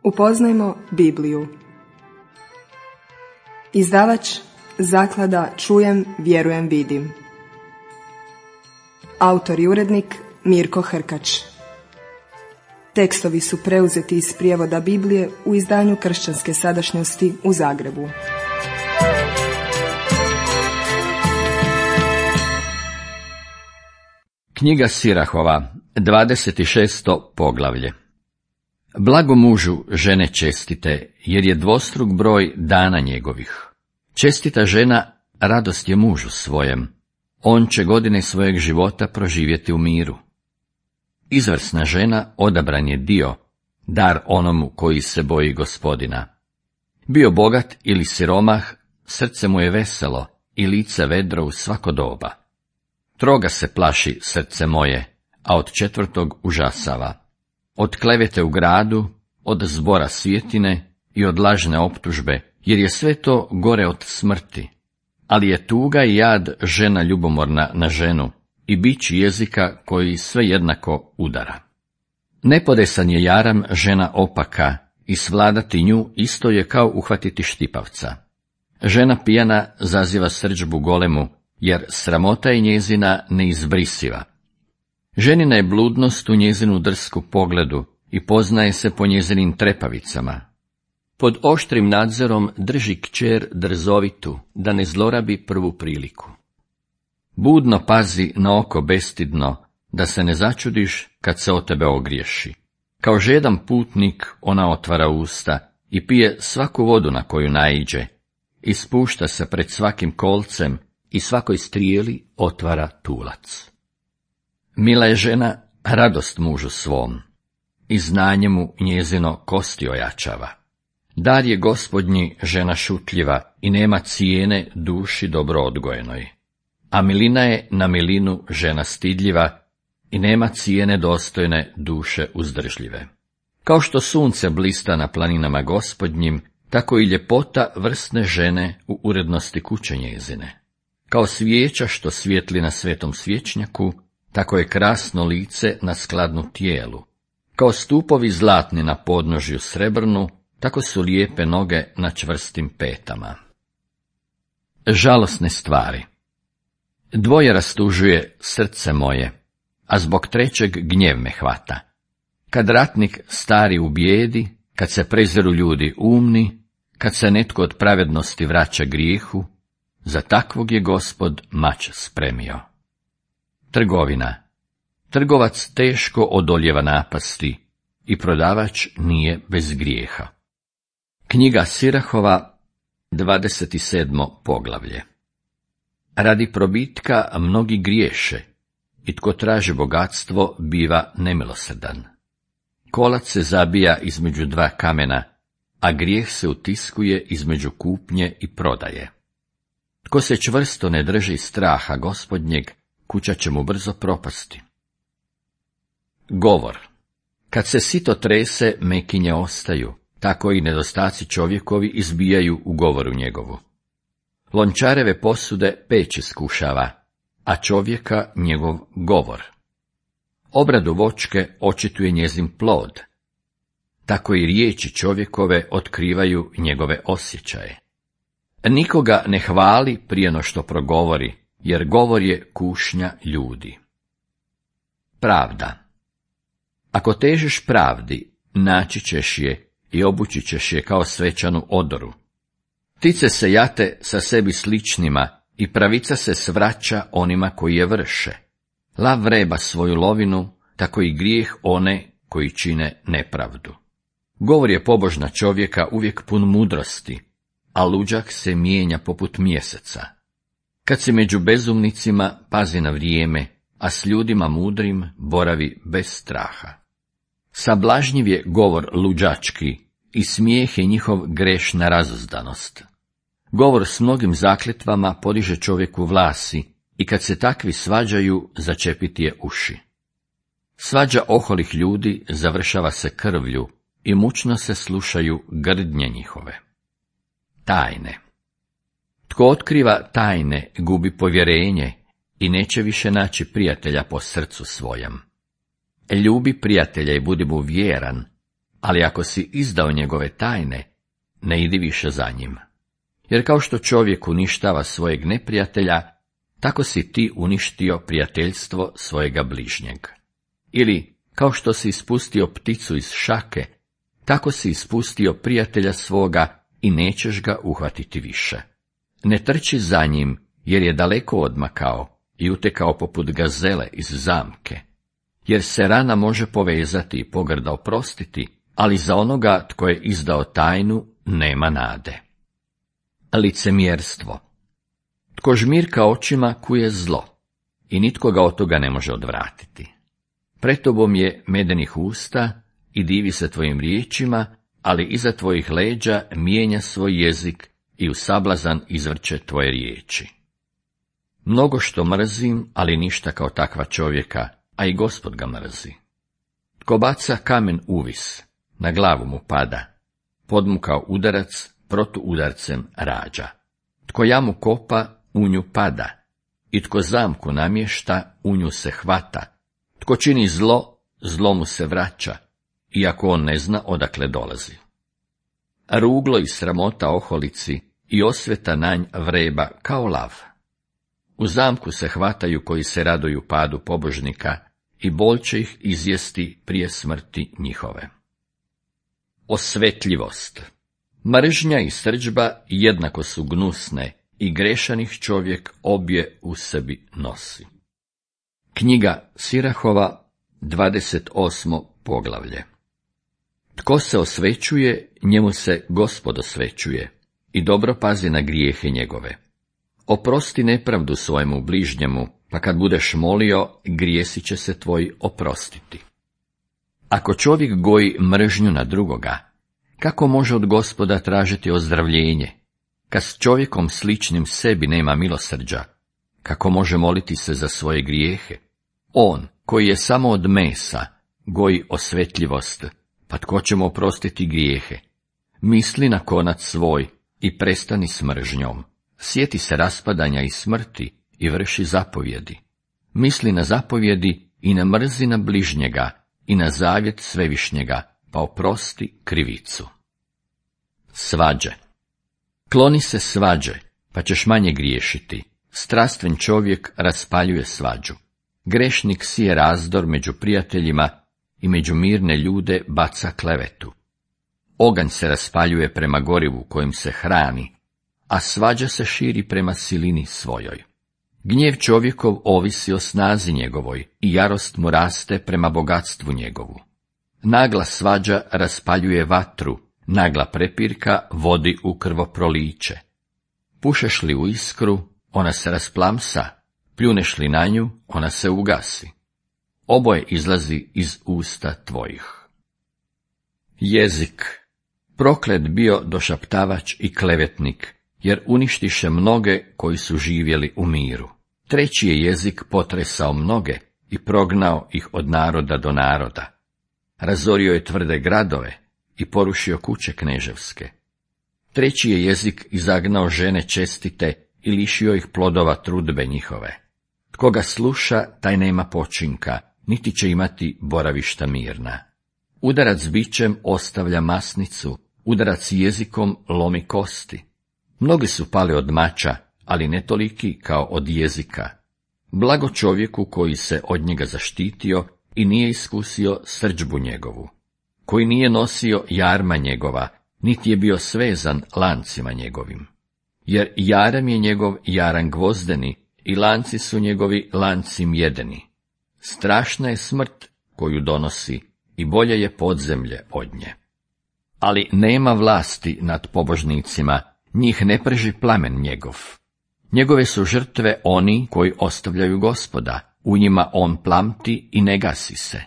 Upoznajmo Bibliju. Izdavač Zaklada Čujem, vjerujem, vidim. Autor i urednik Mirko Hrkač. Tekstovi su preuzeti iz prijevoda Biblije u izdanju Kršćanske sadašnjosti u Zagrebu. Knjiga Sirahova, 26. poglavlje. Blago mužu žene čestite, jer je dvostruk broj dana njegovih. Čestita žena radost je mužu svojem, on će godine svojeg života proživjeti u miru. Izvrsna žena odabran je dio, dar onomu koji se boji Gospodina. Bio bogat ili siromah, srce mu je veselo i lice vedro u svako doba. Troga se plaši srce moje, a od četvrtog užasava. Od klevete u gradu, od zbora svjetine i od lažne optužbe, jer je sve to gore od smrti. Ali je tuga i jad žena ljubomorna na ženu i bič jezika koji sve jednako udara. Nepodesan je jaram žena opaka i svladati nju isto je kao uhvatiti štipavca. Žena pijana zaziva srdžbu golemu, jer sramota je njezina neizbrisiva. Ženina je bludnost u njezinu drsku pogledu i poznaje se po njezinim trepavicama. Pod oštrim nadzorom drži kćer drzovitu, da ne zlorabi prvu priliku. Budno pazi na oko bestidno, da se ne začudiš kad se o tebe ogriješi. Kao žedan putnik ona otvara usta i pije svaku vodu na koju naiđe, i spušta se pred svakim kolcem i svakoj strijeli otvara tulac. Mila je žena radost mužu svom, i znanje mu njezino kosti ojačava. Dar je Gospodnji žena šutljiva i nema cijene duši dobro odgojenoj. A milina je na milinu žena stidljiva i nema cijene dostojne duše uzdržljive. Kao što sunce blista na planinama Gospodnjim, tako i ljepota vrsne žene u urednosti kuće njezine. Kao svijeća što svijetli na svetom svječnjaku, tako je krasno lice na skladnu tijelu. Kao stupovi zlatni na podnožju srebrnu, tako su lijepe noge na čvrstim petama. Žalosne stvari. Dvoje rastužuje srce moje, a zbog trećeg gnjev me hvata. Kad ratnik stari u bijedi, kad se preziru ljudi umni, kad se netko od pravednosti vraća grijehu, za takvog je Gospod mač spremio. Trgovina. Trgovac teško odoljeva napasti i prodavač nije bez grijeha. Knjiga Sirahova, 27. poglavlje. Radi probitka mnogi griješe, i tko traži bogatstvo biva nemilosrdan. Kolac se zabija između dva kamena, a grijeh se utiskuje između kupnje i prodaje. Tko se čvrsto ne drži straha Gospodnjeg, kuća će mu brzo propasti. Govor. Kad se sito trese, mekinje ostaju, tako i nedostaci čovjekovi izbijaju u govoru njegovu. Lončareve posude peć iskušava, a čovjeka njegov govor. Obradu voćke očituje njezin plod, tako i riječi čovjekove otkrivaju njegove osjećaje. Nikoga ne hvali prije no što progovori, jer govor je kušnja ljudi. Pravda. Ako težiš pravdi, naći ćeš je i obući ćeš je kao svečanu odoru. Ptice se jate sa sebi sličnima i pravica se svraća onima koji je vrše. Lav vreba svoju lovinu, tako i grijeh one koji čine nepravdu. Govor je pobožna čovjeka uvijek pun mudrosti, a luđak se mijenja poput mjeseca. Kad si među bezumnicima, pazi na vrijeme, a s ljudima mudrim boravi bez straha. Sablažnjiv je govor luđački i smijeh je njihov grešna razuzdanost. Govor s mnogim zakletvama podiže čovjeku vlasi i kad se takvi svađaju, začepiti je uši. Svađa oholih ljudi završava se krvlju i mučno se slušaju grdnje njihove. Tajne. Tko otkriva tajne, gubi povjerenje i neće više naći prijatelja po srcu svojem. Ljubi prijatelja i budi mu vjeran, ali ako si izdao njegove tajne, ne idi više za njim. Jer kao što čovjek uništava svojeg neprijatelja, tako si ti uništio prijateljstvo svojega bližnjeg. Ili, kao što si ispustio pticu iz šake, tako si ispustio prijatelja svoga i nećeš ga uhvatiti više. Ne trči za njim, jer je daleko odmakao i utekao poput gazele iz zamke. Jer se rana može povezati i pogrda oprostiti, ali za onoga tko je izdao tajnu nema nade. Licemjerstvo. Tko žmirka očima kuje zlo, i nitko ga od toga ne može odvratiti. Pred tobom je medenih usta i divi se tvojim riječima, ali iza tvojih leđa mijenja svoj jezik i u sablazan izvrće tvoje riječi. Mnogo što mrzim, ali ništa kao takva čovjeka, a i Gospod ga mrzi. Tko baca kamen uvis, na glavu mu pada, podmukao udarac, protuudarcem rađa. Tko jamu kopa, u nju pada, i tko zamku namješta, u nju se hvata. Tko čini zlo, zlo mu se vraća, iako on ne zna odakle dolazi. Ruglo i sramota oholici i osveta na nj vreba kao lav. U zamku se hvataju koji se raduju padu pobožnika i bol će ih izjesti prije smrti njihove. Osvetljivost. Mržnja i srdžba jednako su gnusne i grešanih čovjek obje u sebi nosi. Knjiga Sirahova, 28. poglavlje. Tko se osvećuje, njemu se Gospod osvećuje i dobro pazi na grijehe njegove. Oprosti nepravdu svojemu bližnjemu, pa kad budeš molio, grijesi će se tvoji oprostiti. Ako čovjek goji mržnju na drugoga, kako može od Gospoda tražiti ozdravljenje? Kad s čovjekom sličnim sebi nema milosrđa, kako može moliti se za svoje grijehe? On, koji je samo od mesa, goji osvetljivost, pa tko će mu oprostiti grijehe? Misli na konac svoj i prestani s mržnjom. Sjeti se raspadanja i smrti i vrši zapovjedi. Misli na zapovjedi i na mrzina bližnjega i na zavjet svevišnjega, pa oprosti krivicu. Svađe. Kloni se svađe, pa ćeš manje griješiti. Strastven čovjek raspaljuje svađu. Grešnik sije razdor među prijateljima i među mirne ljude baca klevetu. Oganj se raspaljuje prema gorivu kojim se hrani, a svađa se širi prema silini svojoj. Gnjev čovjekov ovisi o snazi njegovoj i jarost mu raste prema bogatstvu njegovu. Nagla svađa raspaljuje vatru, nagla prepirka vodi u krvoproliće. Pušeš li u iskru, ona se rasplamsa, pljuneš li na nju, ona se ugasi. Oboje izlazi iz usta tvojih. Jezik. Proklet bio došaptavač i klevetnik, jer uništiše mnoge koji su živjeli u miru. Treći je jezik potresao mnoge i prognao ih od naroda do naroda. Razorio je tvrde gradove i porušio kuće kneževske. Treći je jezik izagnao žene čestite i lišio ih plodova trudbe njihove. Tko ga sluša, taj nema počinka, niti će imati boravišta mirna. Udarac bičem ostavlja masnicu, udarac jezikom lomi kosti. Mnogi su pali od mača, ali ne toliki kao od jezika. Blago čovjeku koji se od njega zaštitio i nije iskusio srdžbu njegovu, koji nije nosio jarma njegova, niti je bio svezan lancima njegovim. Jer jaram je njegov jaran gvozdeni i lanci su njegovi lanci mjedeni. Strašna je smrt koju donosi i bolje je podzemlje od nje. Ali nema vlasti nad pobožnicima, njih ne prži plamen njegov. Njegove su žrtve oni koji ostavljaju Gospoda, u njima on plamti i ne gasi se.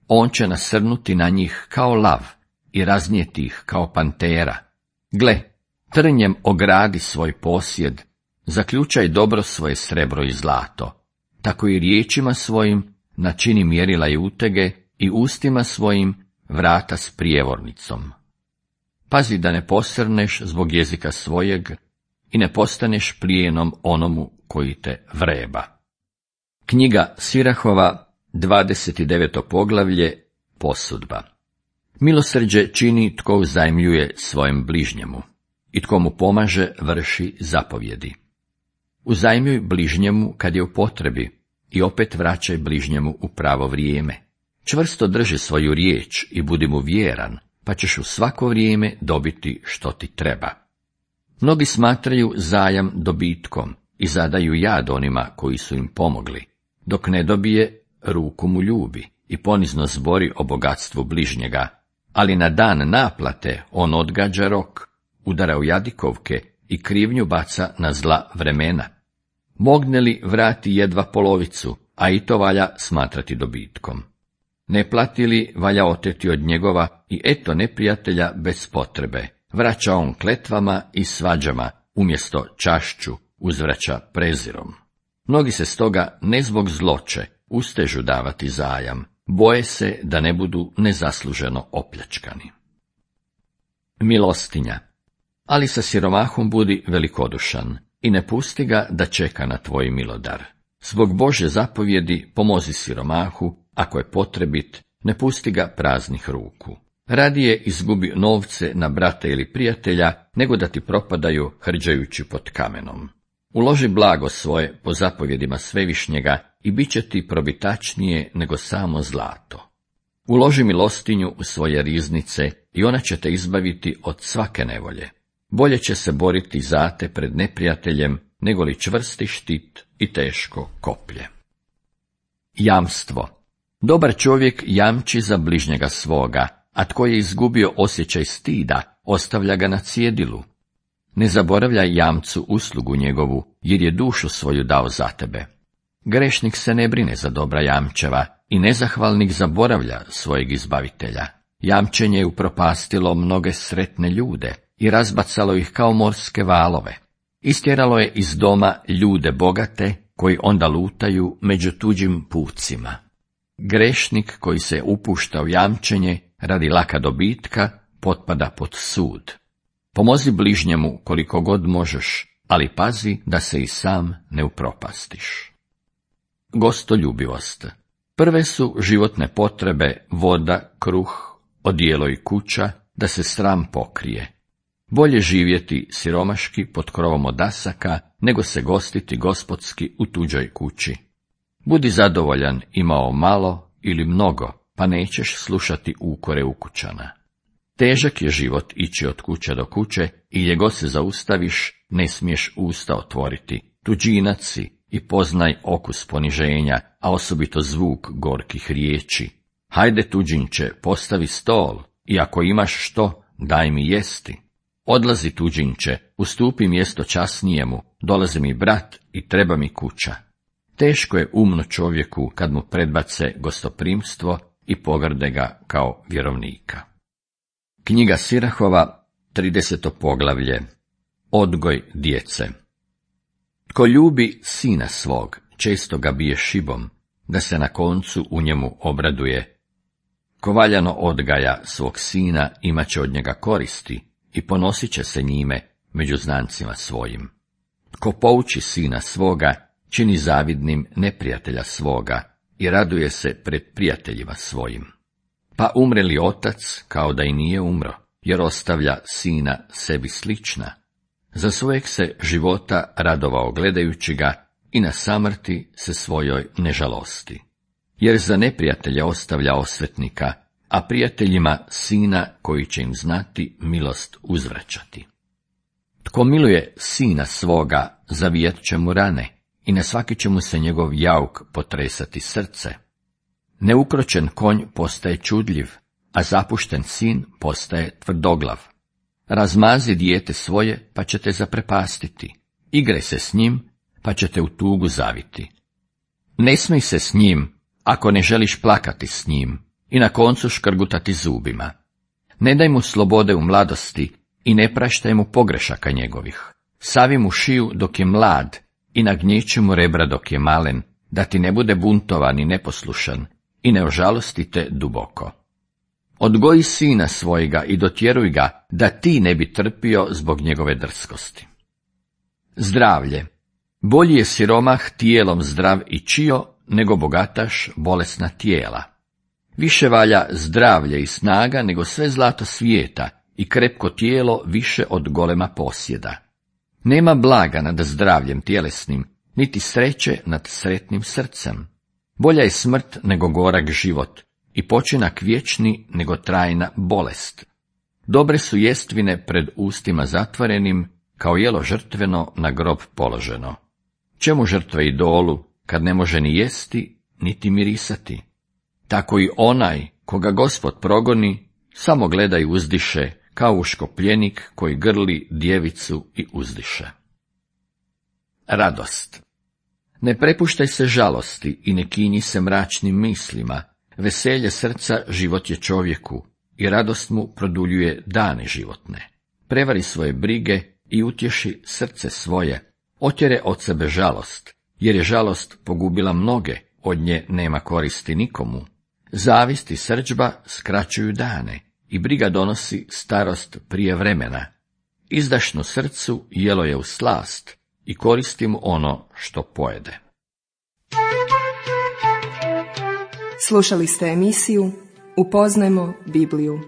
On će nasrnuti na njih kao lav i raznijeti ih kao pantera. Gle, trnjem ogradi svoj posjed, zaključaj dobro svoje srebro i zlato, tako i riječima svojim načini mjerila i utege i ustima svojim vrata s prijevornicom. Pazi da ne posrneš zbog jezika svojeg i ne postaneš plijenom onomu koji te vreba. Knjiga Sirahova, 29. poglavlje, posudba. Milosrđe čini tko uzajmljuje svojem bližnjemu i tko mu pomaže vrši zapovjedi. Uzajmljuj bližnjemu kad je u potrebi i opet vraćaj bližnjemu u pravo vrijeme. Čvrsto drži svoju riječ i budi mu vjeran, pa ćeš u svako vrijeme dobiti što ti treba. Mnogi smatraju zajam dobitkom i zadaju jad onima koji su im pomogli. Dok ne dobije, ruku mu ljubi i ponizno zbori o bogatstvu bližnjega, ali na dan naplate on odgađa rok, udara u jadikovke i krivnju baca na zla vremena. Mogne li vrati jedva polovicu, a i to valja smatrati dobitkom. Ne plati li, valja oteti od njegova i eto neprijatelja bez potrebe. Vraća on kletvama i svađama, umjesto čašću uzvraća prezirom. Mnogi se stoga ne zbog zloće ustežu davati zajam, boje se da ne budu nezasluženo opljačkani. Milostinja. Ali sa siromahom budi velikodušan i ne pusti ga da čeka na tvoj milodar. Zbog Božje zapovjedi pomozi siromahu, ako je potrebit, ne pusti ga praznih ruku. Radije izgubi novce na brata ili prijatelja, nego da ti propadaju hrđajući pod kamenom. Uloži blago svoje po zapovjedima Svevišnjega i bit će ti probitačnije nego samo zlato. Uloži milostinju u svoje riznice i ona će te izbaviti od svake nevolje. Bolje će se boriti za te pred neprijateljem, nego li čvrsti štit i teško koplje. Jamstvo. Dobar čovjek jamči za bližnjega svoga, a tko je izgubio osjećaj stida, ostavlja ga na cjedilu. Ne zaboravljaj jamcu uslugu njegovu, jer je dušu svoju dao za tebe. Grešnik se ne brine za dobra jamčeva i nezahvalnik zaboravlja svojeg izbavitelja. Jamčenje je upropastilo mnoge sretne ljude i razbacalo ih kao morske valove. Istjeralo je iz doma ljude bogate, koji onda lutaju među tuđim pucima. Grešnik koji se upušta u jamčenje radi laka dobitka potpada pod sud. Pomozi bližnjemu koliko god možeš, ali pazi da se i sam ne upropastiš. Gostoljubivost. Prve su životne potrebe voda, kruh, odijelo i kuća, da se sram pokrije. Bolje živjeti siromaški pod krovom odasaka, nego se gostiti gospodski u tuđoj kući. Budi zadovoljan imao malo ili mnogo, pa nećeš slušati ukore ukućana. Težak je život ići od kuće do kuće i gdje god se zaustaviš, ne smiješ usta otvoriti. Tuđinac si i poznaj okus poniženja, a osobito zvuk gorkih riječi. Hajde tuđinče, postavi stol i ako imaš što, daj mi jesti. Odlazi tuđinče, ustupi mjesto časnijemu, dolazi mi brat i treba mi kuća. Teško je umno čovjeku kad mu predbace gostoprimstvo i pogrde ga kao vjerovnika. Knjiga Sirahova, 30. poglavlje. Odgoj djece. Tko ljubi sina svog, često ga bije šibom, da se na koncu u njemu obraduje. Ko valjano odgaja svog sina, imat će od njega koristi i ponosit će se njime među znancima svojim. Tko pouči sina svoga, čini zavidnim neprijatelja svoga i raduje se pred prijateljima svojim. Pa umre li otac, kao da i nije umro, jer ostavlja sina sebi slična. Za svojeg se života radovao gledajući ga i na samrti se svojoj ne žalosti. Jer za neprijatelja ostavlja osvetnika, a prijateljima sina koji će im znati milost uzvraćati. Tko miluje sina svoga, zavijat će mu rane i na svaki će mu se njegov jauk potresati srce. Neukročen konj postaje čudljiv, a zapušten sin postaje tvrdoglav. Razmazi dijete svoje, pa će te zaprepastiti. Igraj se s njim, pa će te u tugu zaviti. Ne smij se s njim, ako ne želiš plakati s njim, i na koncu škrgutati zubima. Ne daj mu slobode u mladosti i ne praštaj mu pogrešaka njegovih. Savi mu šiju dok je mlad i nagnječi mu rebra dok je malen, da ti ne bude buntovan i neposlušan i ne ožalosti te duboko. Odgoji sina svojega i dotjeruj ga, da ti ne bi trpio zbog njegove drskosti. Zdravlje. Bolji je siromah tijelom zdrav i čio, nego bogataš bolesna tijela. Više valja zdravlje i snaga nego sve zlato svijeta i krepko tijelo više od golema posjeda. Nema blaga nad zdravljem tjelesnim, niti sreće nad sretnim srcem. Bolja je smrt nego gorak život i počinak vječni nego trajna bolest. Dobre su jestvine pred ustima zatvorenim, kao jelo žrtveno na grob položeno. Čemu žrtve idolu, kad ne može ni jesti, niti mirisati? Tako i onaj, koga Gospod progoni, samo gleda i uzdiše, kao uškopljenik koji grli djevicu i uzdiše. Radost. Ne prepuštaj se žalosti i ne kinji se mračnim mislima, veselje srca život je čovjeku i radost mu produljuje dane životne. Prevari svoje brige i utješi srce svoje, otjere od sebe žalost, jer je žalost pogubila mnoge, od nje nema koristi nikomu. Zavist i srdžba skraćuju dane i briga donosi starost prije vremena. Izdašno srcu jelo je u slast i koristi mu ono što pojede. Slušali ste emisiju Upoznajmo Bibliju.